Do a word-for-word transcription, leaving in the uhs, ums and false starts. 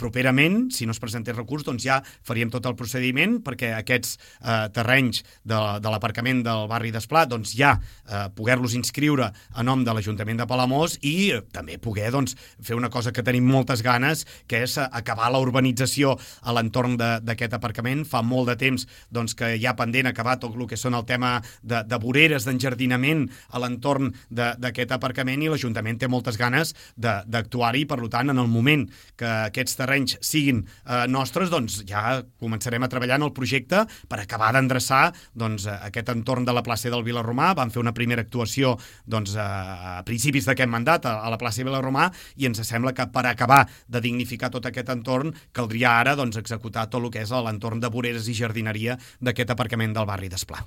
properament, si no es presentés recurs, doncs ja faríem tot el procediment perquè aquests eh, terrenys de, de l'aparcament del barri d'Esplà doncs ja eh, poder-los inscriure a nom de l'Ajuntament de Palamós i eh, també poder doncs, fer una cosa que tenim moltes ganes, que és eh, acabar la urbanització a l'entorn d'aquest aparcament. Fa molt de temps doncs, que hi ha pendent acabar tot el que són el tema de, de voreres, d'enjardinament a l'entorn d'aquest aparcament, i l'Ajuntament té moltes ganes d'actuar-hi. Per tant, en el moment que aquests terrenys siguin eh, nostres, doncs ja començarem a treballar en el projecte per acabar d'endreçar doncs, aquest entorn de la plaça del Vilarromà. Vam fer una primera actuació doncs, a principis d'aquest mandat a, a la plaça Vilarromà, i ens sembla que per acabar de dignificar tot aquest entorn caldria ara doncs, executar tot el que és l'entorn de voreres i jardineria d'aquest aparcament del barri d'Esplà.